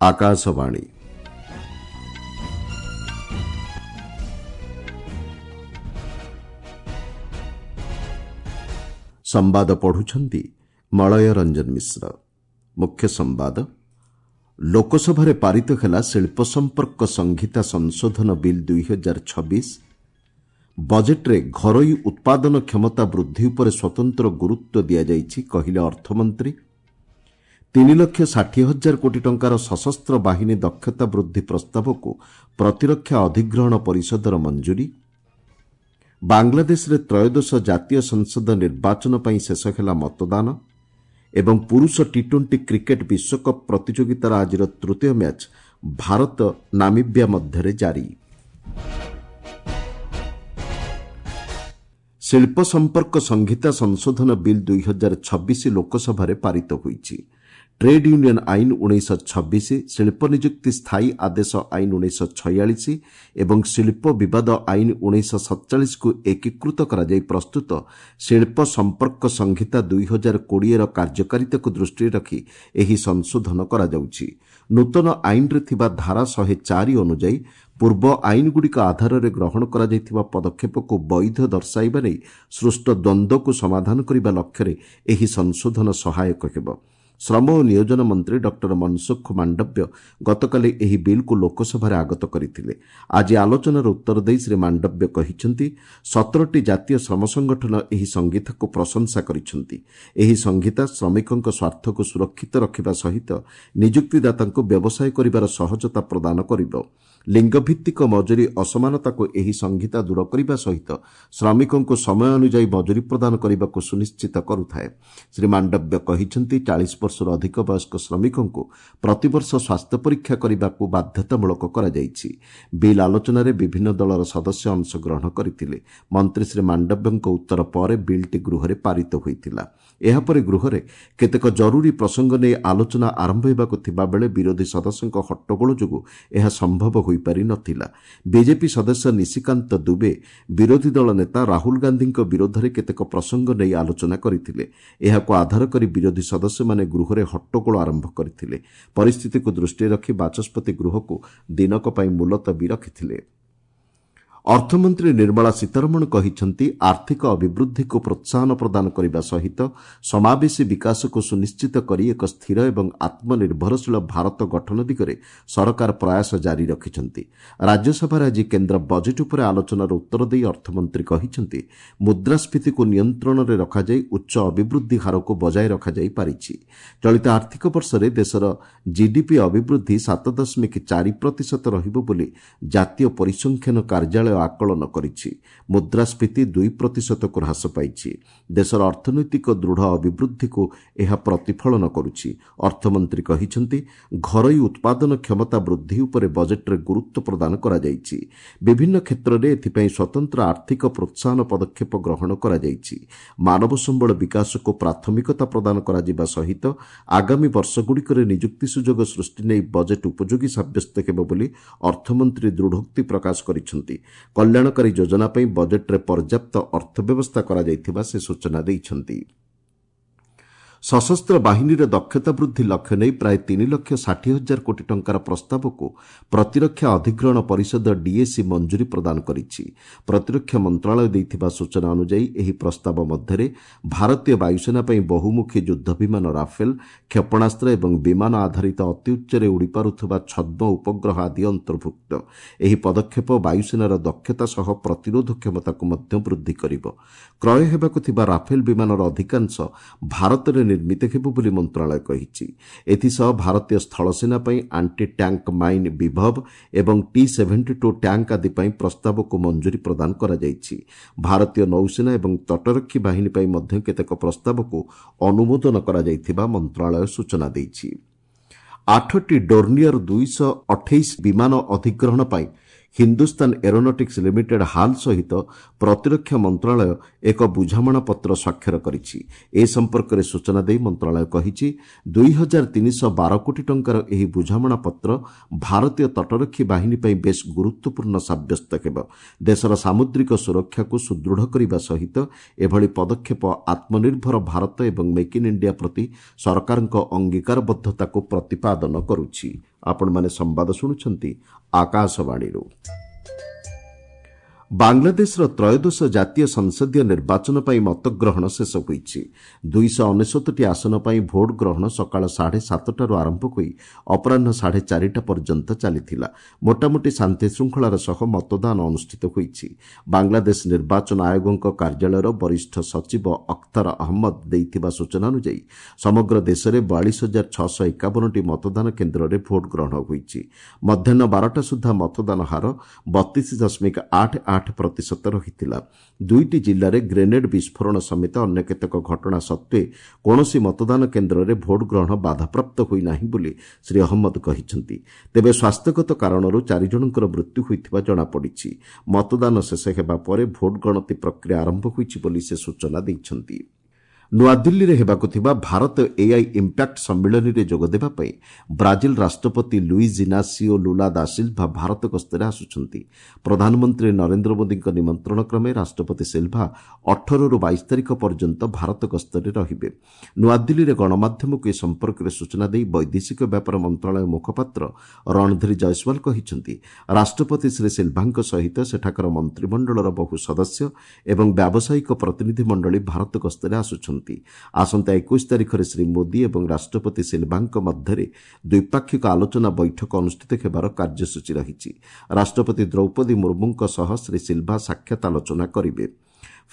ଆକାଶବାଣୀ। ସମ୍ବାଦ ପଢୁଛନ୍ତି ମଳୟ ରଞ୍ଜନ ମିଶ୍ର। ମୁଖ୍ୟ ସମ୍ବାଦ। ଲୋକସଭାରେ ପାରିତ ହେଲା ଶିଳ୍ପ ସମ୍ପର୍କ ସଂହିତା ସଂଶୋଧନ ବିଲ୍ 2026। ବଜେଟ୍ରେ ଘରୋଇ ଉତ୍ପାଦନ କ୍ଷମତା ବୃଦ୍ଧି ଉପରେ ସ୍ୱତନ୍ତ୍ର ଗୁରୁତ୍ୱ ଦିଆଯାଇଛି, କହିଲେ ଅର୍ଥମନ୍ତ୍ରୀ। 3,60,000 କୋଟି ଟଙ୍କାର ସଶସ୍ତ୍ର ବାହିନୀ ଦକ୍ଷତା ବୃଦ୍ଧି ପ୍ରସ୍ତାବକୁ ପ୍ରତିରକ୍ଷା ଅଧିଗ୍ରହଣ ପରିଷଦର ମଞ୍ଜୁରୀ। ବାଂଲାଦେଶରେ ତ୍ରୟୋଦଶ ଜାତୀୟ ସଂସଦ ନିର୍ବାଚନ ପାଇଁ ଶେଷ ହେଲା ମତଦାନ ଏବଂ ପୁରୁଷ ଟି ଟ୍ୱେଣ୍ଟି କ୍ରିକେଟ୍ ବିଶ୍ୱକପ୍ ପ୍ରତିଯୋଗିତାର ଆଜିର ତୃତୀୟ ମ୍ୟାଚ୍ ଭାରତ ନାମିବ୍ୟା ମଧ୍ୟରେ ଜାରି। ଶିଳ୍ପ ସମ୍ପର୍କ ସଂହିତା ସଂଶୋଧନ ବିଲ୍ 2026 ଲୋକସଭାରେ ପାରିତ ହୋଇଛି। ଟ୍ରେଡ୍ ୟୁନିୟନ୍ ଆଇନ 1926, ଶିଳ୍ପ ନିଯୁକ୍ତି ସ୍ଥାୟୀ ଆଦେଶ ଆଇନ 1946 ଏବଂ ଶିଳ୍ପ ବିବାଦ ଆଇନ 1947କୁ ଏକୀକୃତ କରାଯାଇ ପ୍ରସ୍ତୁତ ଶିଳ୍ପ ସମ୍ପର୍କ ସଂହିତା 2020ର କାର୍ଯ୍ୟକାରିତାକୁ ଦୃଷ୍ଟିରେ ରଖି ଏହି ସଂଶୋଧନ କରାଯାଉଛି। ନୂତନ ଆଇନରେ ଥିବା ଧାରା 104 ଅନୁଯାୟୀ ପୂର୍ବ ଆଇନଗୁଡ଼ିକ ଆଧାରରେ ଗ୍ରହଣ କରାଯାଇଥିବା ପଦକ୍ଷେପକୁ ବୈଧ ଦର୍ଶାଇବା ନେଇ ସୃଷ୍ଟ ଦ୍ୱନ୍ଦ୍ୱକୁ ସମାଧାନ କରିବା ଲକ୍ଷ୍ୟରେ ଏହି ସଂଶୋଧନ ସହାୟକ ହେବ। ଶ୍ରମ ଓ ନିୟୋଜନ ମନ୍ତ୍ରୀ ଡକ୍ଟର ମନସୁଖ ମାଣ୍ଡବ୍ୟ ଗତକାଲି ଏହି ବିଲ୍କୁ ଲୋକସଭାରେ ଆଗତ କରିଥିଲେ। ଆଜି ଆଲୋଚନାର ଉତ୍ତର ଦେଇ ଶ୍ରୀ ମାଣ୍ଡବ୍ୟ କହିଛନ୍ତି, 17ଟି ଜାତୀୟ ଶ୍ରମ ସଂଗଠନ ଏହି ସଂହିତାକୁ ପ୍ରଶଂସା କରିଛନ୍ତି। ଏହି ସଂହିତା ଶ୍ରମିକଙ୍କ ସ୍ୱାର୍ଥକୁ ସୁରକ୍ଷିତ ରଖିବା ସହିତ ନିଯୁକ୍ତିଦାତାଙ୍କୁ ବ୍ୟବସାୟ କରିବାର ସହଜତା ପ୍ରଦାନ କରିବ। ଲିଙ୍ଗଭିତ୍ତିକ ମଜୁରୀ ଅସମାନତାକୁ ଏହି ସଂହିତା ଦୂର କରିବା ସହିତ ଶ୍ରମିକଙ୍କୁ ସମୟ ଅନୁଯାୟୀ ମଜୁରୀ ପ୍ରଦାନ କରିବାକୁ ସୁନିଶ୍ଚିତ କରୁଥାଏ। ଶ୍ରୀ ମାଣ୍ଡବ୍ୟ କହିଛନ୍ତି, 40 ବର୍ଷରୁ ଅଧିକ ବୟସ୍କ ଶ୍ରମିକଙ୍କୁ ପ୍ରତିବର୍ଷ ସ୍ୱାସ୍ଥ୍ୟ ପରୀକ୍ଷା କରିବାକୁ ବାଧ୍ୟତାମୂଳକ କରାଯାଇଛି। ବିଲ୍ ଆଲୋଚନାରେ ବିଭିନ୍ନ ଦଳର ସଦସ୍ୟ ଅଂଶଗ୍ରହଣ କରିଥିଲେ। ମନ୍ତ୍ରୀ ଶ୍ରୀ ମାଣ୍ଡବ୍ୟଙ୍କ ଉତ୍ତର ପରେ ବିଲ୍ଟି ଗୃହରେ ପାରିତ ହୋଇଥିଲା। ଏହାପରେ ଗୃହରେ କେତେକ ଜରୁରୀ ପ୍ରସଙ୍ଗ ନେଇ ଆଲୋଚନା ଆରମ୍ଭ ହେବାକୁ ଥିବାବେଳେ ବିରୋଧୀ ସଦସ୍ୟଙ୍କ ହଟ୍ଟଗୋଳ ଯୋଗୁଁ ଏହା ସମ୍ଭବ ହୋଇପାରି ନ ଥିଲା। ବିଜେପି ସଦସ୍ୟ ନିଶିକାନ୍ତ ଦୁବେ ବିରୋଧୀ ଦଳ ନେତା ରାହୁଲ ଗାନ୍ଧୀଙ୍କ ବିରୋଧରେ କେତେକ ପ୍ରସଙ୍ଗ ନେଇ ଆଲୋଚନା କରିଥିଲେ। ଏହାକୁ ଆଧାର କରି ବିରୋଧୀ ସଦସ୍ୟମାନେ ଗୃହରେ ହଟ୍ଟଗୋଳ ଆରମ୍ଭ କରିଥିଲେ। ପରିସ୍ଥିତିକୁ ଦୃଷ୍ଟିରେ ରଖି ବାଚସ୍ପତି ଗୃହକୁ ଦିନକ ପାଇଁ ମୁଲତବୀ ରଖିଥିଲେ। ଅର୍ଥମନ୍ତ୍ରୀ ନିର୍ମଳା ସୀତାରମଣ କହିଛନ୍ତି, ଆର୍ଥିକ ଅଭିବୃଦ୍ଧିକୁ ପ୍ରୋତ୍ସାହନ ପ୍ରଦାନ କରିବା ସହିତ ସମାବେଶୀ ବିକାଶକୁ ସୁନିଶ୍ଚିତ କରି ଏକ ସ୍ଥିର ଏବଂ ଆତ୍ମନିର୍ଭରଶୀଳ ଭାରତ ଗଠନ ଦିଗରେ ସରକାର ପ୍ରୟାସ ଜାରି ରଖିଛନ୍ତି। ରାଜ୍ୟସଭାରେ ଆଜି କେନ୍ଦ୍ର ବଜେଟ୍ ଉପରେ ଆଲୋଚନାର ଉତ୍ତର ଦେଇ ଅର୍ଥମନ୍ତ୍ରୀ କହିଛନ୍ତି, ମୁଦ୍ରାସ୍ଫୀତିକୁ ନିୟନ୍ତ୍ରଣରେ ରଖାଯାଇ ଉଚ୍ଚ ଅଭିବୃଦ୍ଧି ହାରକୁ ବଜାୟ ରଖାଯାଇ ପାରିଛି। ଚଳିତ ଆର୍ଥିକ ବର୍ଷରେ ଦେଶର ଜିଡିପି ଅଭିବୃଦ୍ଧି 7.4 ପ୍ରତିଶତ ରହିବ ବୋଲି ଜାତୀୟ ପରିସଂଖ୍ୟାନ କାର୍ଯ୍ୟାଳୟ ଆକଳନ କରିଛି। ମୁଦ୍ରାସ୍ଫୀତି 2 ପ୍ରତିଶତକୁ ହ୍ରାସ ପାଇଛି। ଦେଶର ଅର୍ଥନୈତିକ ଦୃଢ଼ ଅଭିବୃଦ୍ଧିକୁ ଏହା ପ୍ରତିଫଳନ କରୁଛି। ଅର୍ଥମନ୍ତ୍ରୀ କହିଛନ୍ତି, ଘରୋଇ ଉତ୍ପାଦନ କ୍ଷମତା ବୃଦ୍ଧି ଉପରେ ବଜେଟ୍ରେ ଗୁରୁତ୍ୱ ପ୍ରଦାନ କରାଯାଇଛି। ବିଭିନ୍ନ କ୍ଷେତ୍ରରେ ଏଥିପାଇଁ ସ୍ୱତନ୍ତ୍ର ଆର୍ଥିକ ପ୍ରୋତ୍ସାହନ ପଦକ୍ଷେପ ଗ୍ରହଣ କରାଯାଇଛି। ମାନବ ସମ୍ବଳ ବିକାଶକୁ ପ୍ରାଥମିକତା ପ୍ରଦାନ କରାଯିବା ସହିତ ଆଗାମୀ ବର୍ଷଗୁଡ଼ିକରେ ନିଯୁକ୍ତି ସୁଯୋଗ ସୃଷ୍ଟି ନେଇ ବଜେଟ୍ ଉପଯୋଗୀ ସାବ୍ୟସ୍ତ ହେବ ବୋଲି ଅର୍ଥମନ୍ତ୍ରୀ ଦୃଢ଼ୋକ୍ତି ପ୍ରକାଶ କରିଛନ୍ତି। କଲ୍ୟାଣକାରୀ ଯୋଜନା ପାଇଁ ବଜେଟ୍ରେ ପର୍ଯ୍ୟାପ୍ତ ଅର୍ଥ ବ୍ୟବସ୍ଥା କରାଯାଇଥିବା ସେ ସୂଚନା ଦେଇଛନ୍ତି। ସଶସ୍ତ୍ର ବାହିନୀର ଦକ୍ଷତା ବୃଦ୍ଧି ଲକ୍ଷ୍ୟ ନେଇ ପ୍ରାୟ 3,60,000 କୋଟି ଟଙ୍କାର ପ୍ରସ୍ତାବକୁ ପ୍ରତିରକ୍ଷା ଅଧିଗ୍ରହଣ ପରିଷଦ ଡିଏସି ମଞ୍ଜୁରୀ ପ୍ରଦାନ କରିଛି। ପ୍ରତିରକ୍ଷା ମନ୍ତ୍ରଣାଳୟ ଦେଇଥିବା ସୂଚନା ଅନୁଯାୟୀ ଏହି ପ୍ରସ୍ତାବ ମଧ୍ୟରେ ଭାରତୀୟ ବାୟୁସେନା ପାଇଁ ବହୁମୁଖୀ ଯୁଦ୍ଧ ବିମାନ ରାଫେଲ, କ୍ଷେପଣାସ୍ତ୍ର ଏବଂ ବିମାନ ଆଧାରିତ ଅତିଉଚ୍ଚରେ ଉଡ଼ିପାରୁଥିବା ଛଦ୍ମ ଉପଗ୍ରହ ଆଦି ଅନ୍ତର୍ଭୁକ୍ତ। ଏହି ପଦକ୍ଷେପ ବାୟୁସେନାର ଦକ୍ଷତା ସହ ପ୍ରତିରୋଧ କ୍ଷମତାକୁ ମଧ୍ୟ ବୃଦ୍ଧି କରିବ। କ୍ରୟ ହେବାକୁ ଥିବା ରାଫେଲ ବିମାନର ଅଧିକାଂଶ ଭାରତରେ ନିର୍ମିତ ହେବ ବୋଲି ମନ୍ତ୍ରଣାଳୟ କହିଛି। ଏଥିସହ ଭାରତୀୟ ସ୍ଥଳସେନା ପାଇଁ ଆଣ୍ଟି ଟ୍ୟାଙ୍କ ମାଇନ୍ ବିଭବ ଏବଂ ଟି 72 ଟ୍ୟାଙ୍କ ଆଦି ପାଇଁ ପ୍ରସ୍ତାବକୁ ମଞ୍ଜୁରୀ ପ୍ରଦାନ କରାଯାଇଛି। ଭାରତୀୟ ନୌସେନା ଏବଂ ତଟରକ୍ଷୀ ବାହିନୀ ପାଇଁ ମଧ୍ୟ କେତେକ ପ୍ରସ୍ତାବକୁ ଅନୁମୋଦନ କରାଯାଇଥିବା ମନ୍ତ୍ରଣାଳୟ ସୂଚନା ଦେଇଛି। 8ଟି ଡୋର୍ନିୟର 228 ବିମାନ ଅଧିଗ୍ରହଣ ପାଇଁ ହିନ୍ଦୁସ୍ତାନ ଏରୋନଟିକ୍ସ ଲିମିଟେଡ୍ ହାଲ୍ ସହିତ ପ୍ରତିରକ୍ଷା ମନ୍ତ୍ରଣାଳୟ ଏକ ବୁଝାମଣାପତ୍ର ସ୍ୱାକ୍ଷର କରିଛି। ଏ ସମ୍ପର୍କରେ ସୂଚନା ଦେଇ ମନ୍ତ୍ରଣାଳୟ କହିଛି, 2312 କୋଟି ଟଙ୍କାର ଏହି ବୁଝାମଣାପତ୍ର ଭାରତୀୟ ତଟରକ୍ଷୀ ବାହିନୀ ପାଇଁ ବେଶ୍ ଗୁରୁତ୍ୱପୂର୍ଣ୍ଣ ସାବ୍ୟସ୍ତ ହେବ। ଦେଶର ସାମୁଦ୍ରିକ ସୁରକ୍ଷାକୁ ସୁଦୃଢ଼ କରିବା ସହିତ ଏଭଳି ପଦକ୍ଷେପ ଆତ୍ମନିର୍ଭର ଭାରତ ଏବଂ ମେକ୍ ଇନ୍ ଇଣ୍ଡିଆ ପ୍ରତି ସରକାରଙ୍କ ଅଙ୍ଗୀକାରବଦ୍ଧତାକୁ ପ୍ରତିପାଦନ କରୁଛି। ଆପଣମାନେ ସମ୍ବାଦ ଶୁଣୁଛନ୍ତି ଆକାଶବାଣୀରୁ। ବାଂଲାଦେଶର ତ୍ରୟୋଦଶ ଜାତୀୟ ସଂସଦୀୟ ନିର୍ବାଚନ ପାଇଁ ମତଗ୍ରହଣ ଶେଷ ହୋଇଛି। 299ଟି ଆସନ ପାଇଁ ଭୋଟ୍ ଗ୍ରହଣ ସକାଳ 7:30ରୁ ଆରମ୍ଭ ହୋଇ ଅପରାହ୍ନ 4:30 ପର୍ଯ୍ୟନ୍ତ ଚାଲିଥିଲା। ମୋଟାମୋଟି ଶାନ୍ତିଶୃଙ୍ଖଳାର ସହ ମତଦାନ ଅନୁଷ୍ଠିତ ହୋଇଛି। ବାଂଲାଦେଶ ନିର୍ବାଚନ ଆୟୋଗଙ୍କ କାର୍ଯ୍ୟାଳୟର ବରିଷ୍ଠ ସଚିବ ଅଖ୍ତର ଅହମ୍ମଦ ଦେଇଥିବା ସୂଚନା ଅନୁଯାୟୀ ସମଗ୍ର ଦେଶରେ 42651ଟି ମତଦାନ କେନ୍ଦ୍ରରେ ଭୋଟ୍ ଗ୍ରହଣ ହୋଇଛି। ମଧ୍ୟାହ୍ନ 12ଟା ସୁଦ୍ଧା ମତଦାନ ହାର 32.88% ରହିଥିଲା। ଦୁଇଟି ଜିଲ୍ଲାରେ ଗ୍ରେନେଡ୍ ବିସ୍ଫୋରଣ ସମେତ ଅନ୍ୟ କେତେକ ଘଟଣା ସତ୍ତ୍ୱେ କୌଣସି ମତଦାନ କେନ୍ଦ୍ରରେ ଭୋଟ୍ ଗ୍ରହଣ ବାଧାପ୍ରାପ୍ତ ହୋଇନାହିଁ ବୋଲି ଶ୍ରୀ ଅହମ୍ମଦ କହିଛନ୍ତି। ତେବେ ସ୍ୱାସ୍ଥ୍ୟଗତ କାରଣରୁ 4 ଜଣଙ୍କର ମୃତ୍ୟୁ ହୋଇଥିବା ଜଣାପଡ଼ିଛି। ମତଦାନ ଶେଷ ହେବା ପରେ ଭୋଟ୍ ଗଣତି ପ୍ରକ୍ରିୟା ଆରମ୍ଭ ହୋଇଛି ବୋଲି ସେ ସୂଚନା ଦେଇଛନ୍ତି। ନୂଆଦିଲ୍ଲୀରେ ହେବାକୁ ଥିବା ଭାରତ ଏଆଇ ଇମ୍ପାକ୍ଟ ସମ୍ମିଳନୀରେ ଯୋଗଦେବା ପାଇଁ ବ୍ରାଜିଲ ରାଷ୍ଟ୍ରପତି ଲୁଇଜ୍ ଇନାସିଓ ଲୁଲା ଦା ସିଲ୍ଭା ଭାରତ ଗସ୍ତରେ ଆସୁଛନ୍ତି। ପ୍ରଧାନମନ୍ତ୍ରୀ ନରେନ୍ଦ୍ର ମୋଦିଙ୍କ ନିମନ୍ତ୍ରଣ କ୍ରମେ ରାଷ୍ଟ୍ରପତି ସିଲ୍ଭା 18ରୁ 22 ତାରିଖ ପର୍ଯ୍ୟନ୍ତ ଭାରତ ଗସ୍ତରେ ରହିବେ। ନୂଆଦିଲ୍ଲୀରେ ଗଣମାଧ୍ୟମକୁ ଏ ସମ୍ପର୍କରେ ସୂଚନା ଦେଇ ବୈଦେଶିକ ବ୍ୟାପାର ମନ୍ତ୍ରଣାଳୟ ମୁଖପାତ୍ର ରଣଧୀର ଜୟସ୍ୱାଲ କହିଛନ୍ତି, ରାଷ୍ଟ୍ରପତି ଶ୍ରୀ ସିଲ୍ଭାଙ୍କ ସହିତ ସେଠାକାର ମନ୍ତ୍ରିମଣ୍ଡଳର ବହୁ ସଦସ୍ୟ ଏବଂ ବ୍ୟାବସାୟିକ ପ୍ରତିନିଧିମଣ୍ଡଳୀ ଭାରତ ଗସ୍ତରେ ଆସୁଛନ୍ତି। ଆସନ୍ତା 21 ତାରିଖରେ ଶ୍ରୀ ମୋଦି ଏବଂ ରାଷ୍ଟ୍ରପତି ସିଲ୍ଭାଙ୍କ ମଧ୍ୟରେ ଦ୍ୱିପାକ୍ଷିକ ଆଲୋଚନା ବୈଠକ ଅନୁଷ୍ଠିତ ହେବାର କାର୍ଯ୍ୟସୂଚୀ ରହିଛି। ରାଷ୍ଟ୍ରପତି ଦ୍ରୌପଦୀ ମୁର୍ମୁଙ୍କ ସହ ଶ୍ରୀ ସିଲ୍ଭା ସାକ୍ଷାତ ଆଲୋଚନା କରିବେ।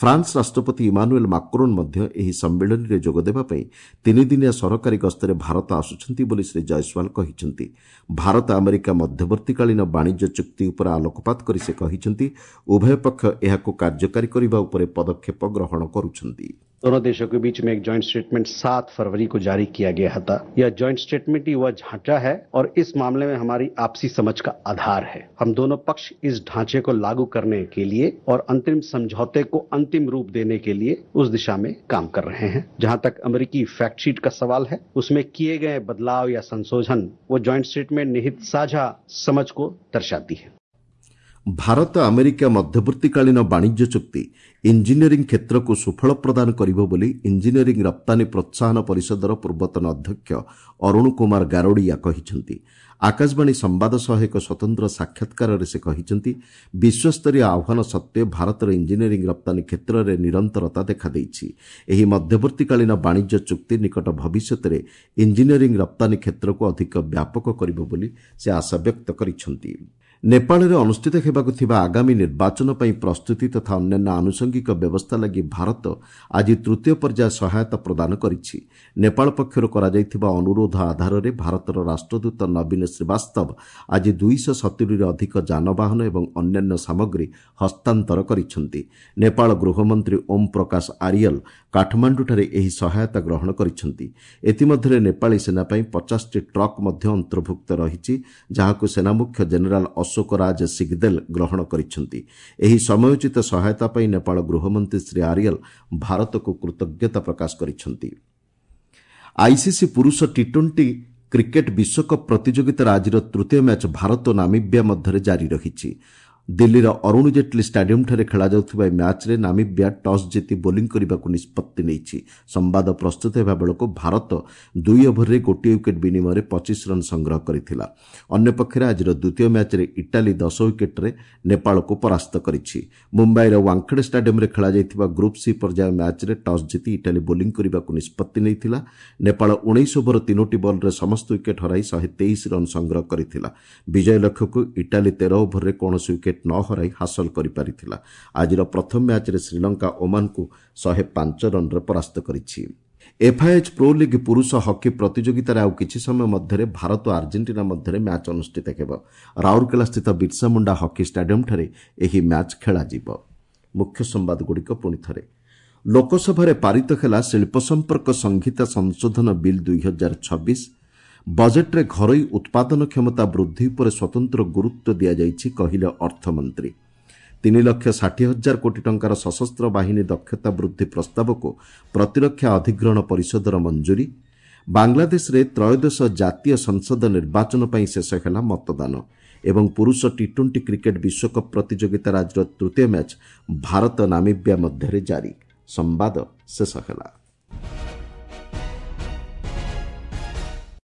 ଫ୍ରାନ୍ସ ରାଷ୍ଟ୍ରପତି ଇମାନୁଏଲ୍ ମାକ୍ରୋନ୍ ମଧ୍ୟ ଏହି ସମ୍ମିଳନୀରେ ଯୋଗଦେବା ପାଇଁ ତିନିଦିନିଆ ସରକାରୀ ଗସ୍ତରେ ଭାରତ ଆସୁଛନ୍ତି ବୋଲି ଶ୍ରୀ ଜୟସ୍ୱାଲ କହିଛନ୍ତି। ଭାରତ ଆମେରିକା ମଧ୍ୟବର୍ତ୍ତୀକାଳୀନ ବାଣିଜ୍ୟ ଚୁକ୍ତି ଉପରେ ଆଲୋକପାତ କରି ସେ କହିଛନ୍ତି, ଉଭୟ ପକ୍ଷ ଏହାକୁ କାର୍ଯ୍ୟକାରୀ କରିବା ଉପରେ ପଦକ୍ଷେପ ଗ୍ରହଣ କରୁଛନ୍ତି। दोनों देशों के बीच में एक जॉइंट स्टेटमेंट 7 फरवरी को जारी किया गया था। यह जॉइंट स्टेटमेंट ही वह ढांचा है और इस मामले में हमारी आपसी समझ का आधार है। हम दोनों पक्ष इस ढांचे को लागू करने के लिए और अंतरिम समझौते को अंतिम रूप देने के लिए उस दिशा में काम कर रहे हैं। जहां तक अमेरिकी फैक्ट शीट का सवाल है, उसमें किए गए बदलाव या संशोधन वो जॉइंट स्टेटमेंट निहित साझा समझ को दर्शाती है। ଭାରତ ଆମେରିକା ମଧ୍ୟବର୍ତ୍ତୀକାଳୀନ ବାଣିଜ୍ୟ ଚୁକ୍ତି ଇଞ୍ଜିନିୟରିଂ କ୍ଷେତ୍ରକୁ ସୁଫଳ ପ୍ରଦାନ କରିବ ବୋଲି ଇଞ୍ଜିନିୟରିଂ ରପ୍ତାନୀ ପ୍ରୋତ୍ସାହନ ପରିଷଦର ପୂର୍ବତନ ଅଧ୍ୟକ୍ଷ ଅରୁଣ କୁମାର ଗାରୋଡ଼ିଆ କହିଛନ୍ତି। ଆକାଶବାଣୀ ସମ୍ବାଦ ସହ ଏକ ସ୍ୱତନ୍ତ୍ର ସାକ୍ଷାତକାରରେ ସେ କହିଛନ୍ତି, ବିଶ୍ୱସ୍ତରୀୟ ଆହ୍ୱାନ ସତ୍ତ୍ୱେ ଭାରତର ଇଞ୍ଜିନିୟରିଂ ରପ୍ତାନୀ କ୍ଷେତ୍ରରେ ନିରନ୍ତରତା ଦେଖାଦେଇଛି। ଏହି ମଧ୍ୟବର୍ତ୍ତୀକାଳୀନ ବାଣିଜ୍ୟ ଚୁକ୍ତି ନିକଟ ଭବିଷ୍ୟତରେ ଇଞ୍ଜିନିୟରିଂ ରପ୍ତାନୀ କ୍ଷେତ୍ରକୁ ଅଧିକ ବ୍ୟାପକ କରିବ ବୋଲି ସେ ଆଶାବ୍ୟକ୍ତ କରିଛନ୍ତି। ନେପାଳରେ ଅନୁଷ୍ଠିତ ହେବାକୁ ଥିବା ଆଗାମୀ ନିର୍ବାଚନ ପାଇଁ ପ୍ରସ୍ତୁତି ତଥା ଅନ୍ୟାନ୍ୟ ଆନୁଷଙ୍ଗିକ ବ୍ୟବସ୍ଥା ଲାଗି ଭାରତ ଆଜି ତୃତୀୟ ପର୍ଯ୍ୟାୟ ସହାୟତା ପ୍ରଦାନ କରିଛି। ନେପାଳ ପକ୍ଷରୁ କରାଯାଇଥିବା ଅନୁରୋଧ ଆଧାରରେ ଭାରତର ରାଷ୍ଟ୍ରଦୂତ ନବୀନ ଶ୍ରୀବାସ୍ତବ ଆଜି 270ରୁ ଅଧିକ ଯାନବାହନ ଏବଂ ଅନ୍ୟାନ୍ୟ ସାମଗ୍ରୀ ହସ୍ତାନ୍ତର କରିଛନ୍ତି। ନେପାଳ ଗୃହମନ୍ତ୍ରୀ ଓମ୍ ପ୍ରକାଶ ଆରିୟଲ କାଠମାଣ୍ଡୁଠାରେ ଏହି ସହାୟତା ଗ୍ରହଣ କରିଛନ୍ତି। ଏଥିମଧ୍ୟରେ ନେପାଳୀ ସେନା ପାଇଁ 50ଟି ଟ୍ରକ୍ ମଧ୍ୟ ଅନ୍ତର୍ଭୁକ୍ତ ରହିଛି, ଯାହାକୁ ସେନାମୁଖ୍ୟ ଜେନେରାଲ ଅଶୋକ ରାଜ ସିଗଦେଲ ଗ୍ରହଣ କରିଛନ୍ତି। ଏହି ସମୟୋଚିତ ସହାୟତା ପାଇଁ ନେପାଳ ଗୃହମନ୍ତ୍ରୀ ଶ୍ରୀ ଆରିୟଲ ଭାରତକୁ କୃତଜ୍ଞତା ପ୍ରକାଶ କରିଛନ୍ତି। ଆଇସିସି ପୁରୁଷ ଟି-20 କ୍ରିକେଟ୍ ବିଶ୍ୱକପ୍ ପ୍ରତିଯୋଗିତାର ଆଜିର ତୃତୀୟ ମ୍ୟାଚ୍ ଭାରତ ଓ ନାମିବିଆ ମଧ୍ୟରେ ଜାରି ରହିଛି। ଦିଲ୍ଲୀର ଅରୁଣ ଜେଟ୍ଲୀ ଷ୍ଟାଡିୟମ୍ଠାରେ ଖେଳାଯାଉଥିବା ଏହି ମ୍ୟାଚ୍ରେ ନାମିବିଆ ଟସ୍ ଜିତି ବୋଲିଂ କରିବାକୁ ନିଷ୍ପତ୍ତି ନେଇଛି। ସମ୍ବାଦ ପ୍ରସ୍ତୁତ ହେବା ବେଳକୁ ଭାରତ 2 ଓଭରରେ 1 ୱିକେଟ୍ ବିନିମୟରେ 25 ରନ୍ ସଂଗ୍ରହ କରିଥିଲା। ଅନ୍ୟପକ୍ଷରେ ଆଜିର ଦ୍ୱିତୀୟ ମ୍ୟାଚ୍ରେ ଇଟାଲୀ 10 ୱିକେଟ୍ରେ ନେପାଳକୁ ପରାସ୍ତ କରିଛି। ମୁମ୍ବାଇର ୱାଙ୍ଖଡେ ଷ୍ଟାଡିୟମ୍ରେ ଖେଳାଯାଇଥିବା ଗ୍ରୁପ୍ ସି ପର୍ଯ୍ୟାୟ ମ୍ୟାଚ୍ରେ ଟସ୍ ଜିତି ଇଟାଲୀ ବୋଲିଂ କରିବାକୁ ନିଷ୍ପତ୍ତି ନେଇଥିଲା। ନେପାଳ 19 ଓଭର 3ଟି ବଲ୍ରେ ସମସ୍ତ ୱିକେଟ୍ ହରାଇ 123 ରନ୍ ସଂଗ୍ରହ କରିଥିଲା। ବିଜୟ ଲକ୍ଷ୍ୟକୁ ଇଟାଲୀ 13 ଓଭରରେ କୌଣସି ୱିକେଟ୍ ନ ହରାଇ ହାସଲ କରିପାରିଥିଲା। ଆଜିର ପ୍ରଥମ ମ୍ୟାଚ୍ରେ ଶ୍ରୀଲଙ୍କା ଓମାନକୁ 105 ରନ୍ରେ ପରାସ୍ତ କରିଛି। ଏଫ୍ଆଇଏଚ୍ ପ୍ରୋ ଲିଗ୍ ପୁରୁଷ ହକି ପ୍ରତିଯୋଗିତାରେ ଆଉ କିଛି ସମୟ ମଧ୍ୟରେ ଭାରତ ଓ ଆର୍ଜେଣ୍ଟିନା ମଧ୍ୟରେ ମ୍ୟାଚ୍ ଅନୁଷ୍ଠିତ ହେବ। ରାଉରକେଲାସ୍ଥିତ ବିର୍ସା ମୁଣ୍ଡା ହକି ଷ୍ଟାଡିୟମ୍ଠାରେ ଏହି ମ୍ୟାଚ୍ ଖେଳାଯିବ। ମୁଖ୍ୟ ସମ୍ବାଦଗୁଡ଼ିକ ପୁଣି ଥରେ। ଲୋକସଭାରେ ପାରିତ ହେଲା ଶିଳ୍ପ ସମ୍ପର୍କ ସଂହିତା ସଂଶୋଧନ ବିଲ୍ 2026। ବଜେଟ୍ରେ ଘରୋଇ ଉତ୍ପାଦନ କ୍ଷମତା ବୃଦ୍ଧି ଉପରେ ସ୍ୱତନ୍ତ୍ର ଗୁରୁତ୍ୱ ଦିଆଯାଇଛି, କହିଲେ ଅର୍ଥମନ୍ତ୍ରୀ। 3,60,000 କୋଟି ଟଙ୍କାର ସଶସ୍ତ୍ର ବାହିନୀ ଦକ୍ଷତା ବୃଦ୍ଧି ପ୍ରସ୍ତାବକୁ ପ୍ରତିରକ୍ଷା ଅଧିଗ୍ରହଣ ପରିଷଦର ମଞ୍ଜୁରୀ। ବାଂଲାଦେଶରେ ତ୍ରୟୋଦଶ ଜାତୀୟ ସଂସଦ ନିର୍ବାଚନ ପାଇଁ ଶେଷ ହେଲା ମତଦାନ। ଏବଂ ପୁରୁଷ ଟି ଟ୍ୱେଣ୍ଟି କ୍ରିକେଟ୍ ବିଶ୍ୱକପ୍ ପ୍ରତିଯୋଗିତାର ଆଜିର ତୃତୀୟ ମ୍ୟାଚ୍ ଭାରତ ନାମିବ୍ୟା ମଧ୍ୟରେ ଜାରି। ସମ୍ବାଦ ଶେଷ ହେଲା।